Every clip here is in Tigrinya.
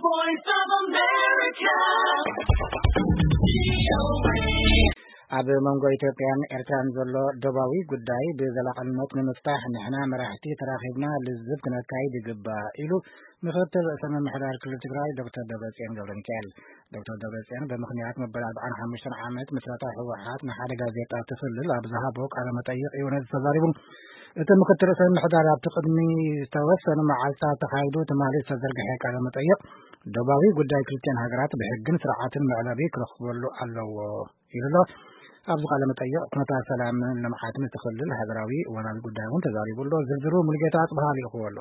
Voice of America. ኣብ መንጎ ኢትዮጵያን ኤርትራን ዘሎ ዶባዊ ጉዳይ ብዘላቕነት ንምፍታሕ ንሕና መራሕቲ ተራኺብና ልዝብ ክነካይድ ይግባእ ኢሉ ምክትል ርእሰ ምምሕዳር ክልል ትግራይ ዶክተር ደብረጽዮን ገብረ ሚካኤል። ዶክተር ደብረጽዮን ብምኽንያት መበል ኣርባዓን ሓሙሽተን ዓመት ምስረታ ህወሓት ንሓደ ጋዜጣ እቲ ክልል ኣብ ዝሃቦ ቃለ መጠይቕ እዩ ነዚ ተዛሪቡ። እቲ ምክትል ርእሰ ምምሕዳር ኣብቲ ቅድሚ ዝተወሰኑ መዓልታት ተኻይዱ ትማሊ ዝተዘርግሐ ቃለ መጠይቕ ዶባዊ ጉዳይ ክልቲኣን ሃገራት ብሕግን ስርዓትን መዕለቢ ክረኽበሉ ኣለዎ ኢሉ ኣሎ። ኣብዚ ቃለ መጠይቕ ኩነታት ሰላምን ልምዓትን እቲ ክልል ሃገራዊ እዋናዊ ጉዳይ እውን ተዛሪቡ ኣሎ። ዝርዝሩ ሙሉጌታ ኣጽብሃ ልኢኽዎ ኣሎ።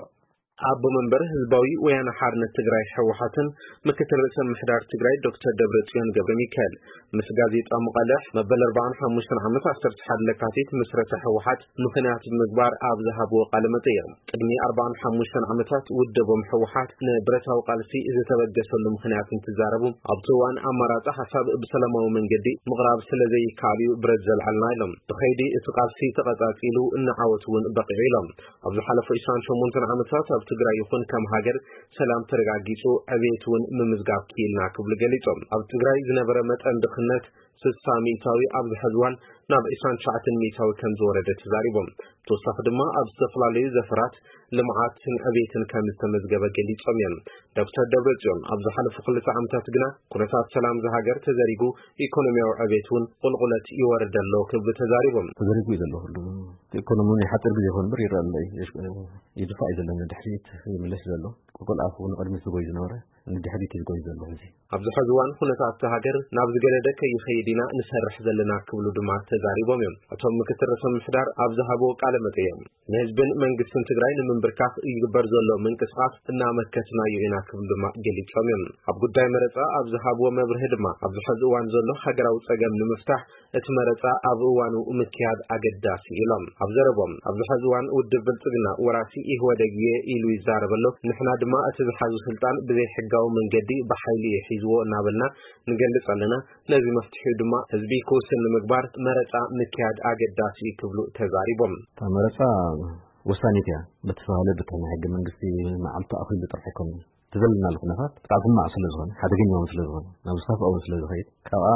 ኣቦ መንበር ህዝባዊ ወያነ ሓርነት ትግራይ ህወሓትን ምክትል ርእሰ ምምሕዳር ትግራይ ዶክተር ደብረጽዮን ገብረ ሚካኤል ምስ ጋዜጣ ሙቓልሕ መበል ኣርባዓን ሓሙሽተን ዓመት ዓሰርተ ሓደ ለካቲት ምስረታ ህወሓት ምኽንያት ብምግባር ኣብ ዝሃብዎ ቃለ መጠይቕ፣ ቅድሚ ኣርባዓን ሓሙሽተን ዓመታት ውድቦም ህወሓት ንብረታዊ ቃልሲ ዝተበገሰሉ ምኽንያት እንትዛረቡ፣ ኣብቲ እዋን ኣማራጺ ሓሳብ ብሰላማዊ መንገዲ ምቕራብ ስለ ዘይከኣል እዩ ብረት ዘልዓልና ኢሎም። ብኸይዲ እቲ ቃልሲ ተቐጻጺሉ፣ ንዓወት እውን በቒዑ ኢሎም። ኣብ ዝሓለፉ ዕስራን ሸሞንተን ዓመታት ኣብ ትግራይ ይኹን ከም ሃገር ሰላም ተረጋጊጹ፣ ዕብየት እውን ምምዝጋብ ክኢልና ክብሉ ገሊጾም። ኣብ ትግራይ ዝነበረ መጠን ድኽነት ስሳ ሚእታዊ ኣብዚ ሕዚ እዋን ናብ ዕስራን ትሽዓተን ሚእታዊ ከም ዝወረደ ተዛሪቦም። ብተወሳኺ ድማ ኣብ ዝተፈላለዩ ዘፈራት ልምዓትን ዕብየትን ከም ዝተመዝገበ ገሊጾም እዮም። ዶክተር ደብረጽዮን ኣብ ዝሓለፉ ክልተ ዓመታት ግና ኩነታት ሰላም እዛ ሃገር ተዘሪጉ፣ ኢኮኖሚያዊ ዕብየት እውን ቁልቁለት ይወርድ ኣሎ ክብሉ ተዛሪቦም። ተዘሪጉ እዩ ዘሎ ኩሉ። እቲ ኢኮኖሚ እውን ሓፂር ግዜ ይኾን እምበር ይረአ ኣሎ እዩ። ይድፋእ እዩ ዘሎ ንድሕሪት ይምለስ ዘሎ። ቁልቁል ኣፉ ንቕድሚት ዝጎይ ዝነበረ ንድሕሪት እዩ ዝጎይ ዘሎ ሕዚ። ኣብዚ ሕዚ እዋን ኩነታት እታ ሃገር ናብ ዝገደደ ከይኸይድ ኢና ንሰርሕ ዘለና ክብሉ ድማ ተዛሪቦም እዮም። እቶም ምክትል ርእሰ ምምሕዳር ኣብ ዝሃብዎ ቃለ መጠይቕ ንህዝብን መንግስትን ትግራይ ንምንብርካኽ ይግበር ዘሎ ምንቅስቓስ እናመከትናዮ ኢና ክብሉ ድማ ገሊጾም እዮም። ኣብ ጉዳይ መረፃ ኣብ ዝሃብዎ መብርሂ ድማ ኣብዚ ሕዚ እዋን ዘሎ ሃገራዊ ፀገም ንምፍታሕ እቲ መረፃ ኣብ እዋኑ ምክያድ ኣገዳሲ ኢሎም። ኣብ ዘረቦም ኣብዚ ሕዚ እዋን ውድብ ብልፅግና ወራሲ ኢህወደግ እየ ኢሉ ይዛረብ ኣሎ። ንሕና ድማ እቲ ዝሓዙ ስልጣን ብዘይሕጋዊ መንገዲ ብሓይሊ እዩ ሒዝዎ እናበልና ንገልጽ ኣለና። ነዚ መፍትሒኡ ድማ ህዝቢ ክውስን ንምግባር መረጻ ምክያድ ኣገዳሲ እዩ ክብሉ ተዛሪቦም። እታ መረጻ ወሳኒት እያ። በቲ ዝተባህለ በቲ ናይ ሕገ መንግስቲ መዓልቲ ኣኺሉ ጥራሕ ኣይኮነን። እቲ ዘለናሉ ኩነታት ብጣዕሚ ሕማቕ ስለ ዝኾነ፣ ሓደገኛ እውን ስለ ዝኾነ፣ ናብ ዝኸፍኣ እውን ስለ ዝኸይድ፣ ካብኣ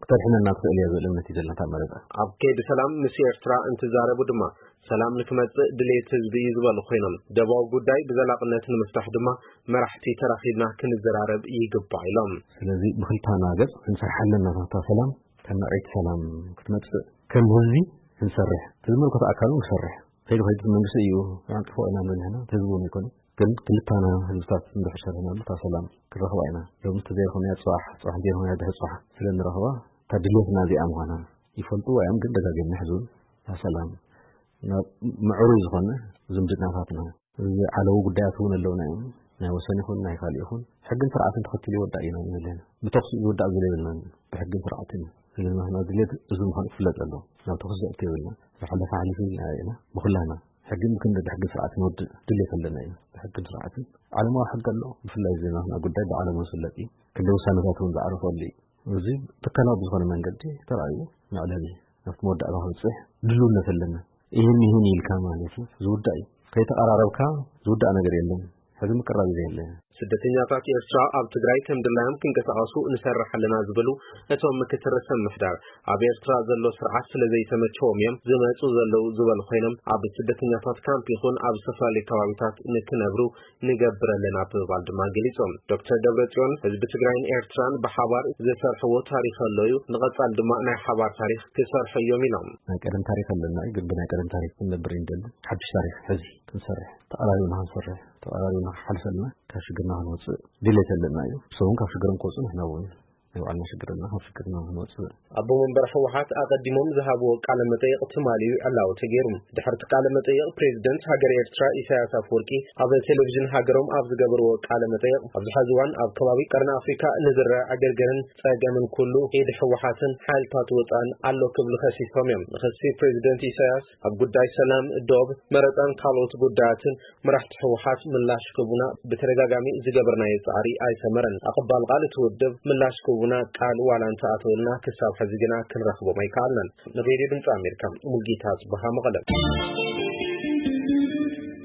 ክተድሕነና ትኽእል እያ ዝብል እምነት እዩ ዘለና እታ መረጻ። ኣብ ከይዲ ሰላም ምስ ኤርትራ እንትዛረቡ ድማ ሰላም ንክመጽእ ድሌት ህዝቢ እዩ ዝበሉ ኮይኖም፣ ደባዊ ጉዳይ ብዘላቕነት ንምፍታሕ ድማ መራሕቲ ተራኺብና ክንዘራረብ ይግባእ ኢሎም። ስለዚ ብክልታና ገጽ ክንሰርሓ ኣለና። እታ ሰላም፣ እታ ምዕሪት ሰላም ክትመጽእ ከም ህዝቢ ክንሰርሕ፣ እቲ ዝምልከቶ ኣካል እውን ክሰርሕ። ከይዱ ከይዱ እቲ መንግስቲ እዩ ኣንጥፎ ኢና ንብል ንሕና፣ እቲ ህዝቢ እውን ኣይኮነን። ግን ክልታና ህዝብታት እንድሕር ሰሪሕናሉ እታ ሰላም ክንረኽባ ኢና። ሎሚ እንተዘይረኸብናያ ጽባሕ፣ ጽባሕ እንተይረኸብናያ ድሕሪ ጽባሕ ስለ እንረኽባ እታ ድሌትና እዚኣ ምዃና ይፈልጡ እዮም። ግን ደጋጊሞም ይሕዙን እታ ሰላም ናብ ምዕሩይ ዝኾነ ዝምድናታትና። እዚ ዓለዊ ጉዳያት እውን ኣለውና እዮም። ናይ ወሰን ይኹን ናይ ካልእ ይኹን ሕግን ስርዓትን ተኸቲሉ ይወዳእ ኢና ንብል። ብተኹሲ ዝውዳእ ዝብል የብልናን። ብሕግን ስርዓትን እዩ። ስለዚ ናትና ድሌት እዚ ምዃኑ ክፍለጥ ኣለዎ። ናብ ተኹሲ ዘእቱ የብልና። ዝሓለፈ ሓሊፉ ኢልና ኢና። ብኹላና ሕግን ክንዲ ብሕግን ስርዓትን ወዲ ድሌት ኣለና እዩ። ብሕግን ስርዓትን ዓለማዊ ሕጊ ኣሎ። ብፍላይ እዚ ናትና ጉዳይ ብዓለሙ ዝፍለጥ እዩ። ክንዲ ውሳነታት እውን ዝዓረፈሉ እዩ። እዚ ትካላዊ ብዝኾነ መንገዲ ተራእዩ መዕለቢ ናብቲ መወዳእታ ክበጽሕ ድልውነት ኣለና። ይህን ይህን ኢልካ ማለት እዩ ዝውዳእ እዩ። ከይተቐራረብካ ዝውዳእ ነገር የለን። ሕዚ ምቅራብ እዩ ዘየለ። ስደተኛታት ኤርትራ ኣብ ትግራይ ከም ድላዮም ክንቀሳቐሱ ንሰርሕ ኣለና ዝበሉ እቶም ምክትል ርእሰ ምምሕዳር፣ ኣብ ኤርትራ ዘሎ ስርዓት ስለ ዘይተመቸዎም እዮም ዝመጹ ዘለዉ ዝበሉ ኮይኖም፣ ኣብ ስደተኛታት ካምፕ ይኹን ኣብ ዝተፈላለዩ ከባቢታት ንክነብሩ ንገብር ኣለና ብምባል ድማ ገሊጾም። ዶክተር ደብረጽዮን ህዝቢ ትግራይን ኤርትራን ብሓባር ዝሰርሕዎ ታሪኽ ኣሎ እዩ፣ ንቐጻል ድማ ናይ ሓባር ታሪኽ ክሰርሑ እዮም ኢሎም። ናይ ቀደም ታሪኽ ኣለና እዩ፣ ግን ብናይ ቀደም ታሪኽ ክንነብር እዩ ንደሊ። ሓድሽ ታሪኽ ሕዚ ክንሰርሕ፣ ተቐራሪብና ክንሰርሕ፣ ተቐራሪብና ክንሓልፍ ኣለና። ካብ ሽግርና ክንወፅእ ድሌት ኣለና እዩ። ንሶም እውን ካብ ሽግሮም ክወፁ ንሕና እውን ናይ ባዕልና ሽግር ኣለና፣ ካብ ሽግርና ክንወፅእ። ኣቦ መንበር ህወሓት ኣቐዲሞም ዝሃብዎ ቃለ መጠይቕ ትማሊ እዩ ዕላዊ ተገይሩ። ድሕርቲ ቃለ መጠይቕ ፕሬዚደንት ሃገር ኤርትራ ኢሳያስ ኣፈወርቂ ኣብ ቴሌቪዥን ሃገሮም ኣብ ዝገበርዎ ቃለ መጠይቕ ኣብዚ ሕዚ እዋን ኣብ ከባቢ ቀርኒ ኣፍሪካ ንዝረአ ዕግርግርን ጸገምን ኩሉ ኢድ ህወሓትን ሓይልታት ወፃእን ኣሎ ክብሉ ከሲሶም እዮም። ንክሲ ፕሬዚደንት ኢሳያስ ኣብ ጉዳይ ሰላም፣ ዶብ፣ መረፃን ካልኦት ጉዳያትን መራሕቲ ህወሓት ምላሽ ክህቡና ብተደጋጋሚ ዝገበርናዮ ጻዕሪ ኣይሰመረን። ኣቐባል ቃል እቲ ውድብ ምላሽ ክህቡና ቃል ዋላ እንተኣተውልና ክሳብ ሕዚ ግና ክንረኽቦም ኣይከኣልናን። ንሬድዮ ድምፂ ኣሜሪካ ሙልጌታ ጽበሃ መቐለ።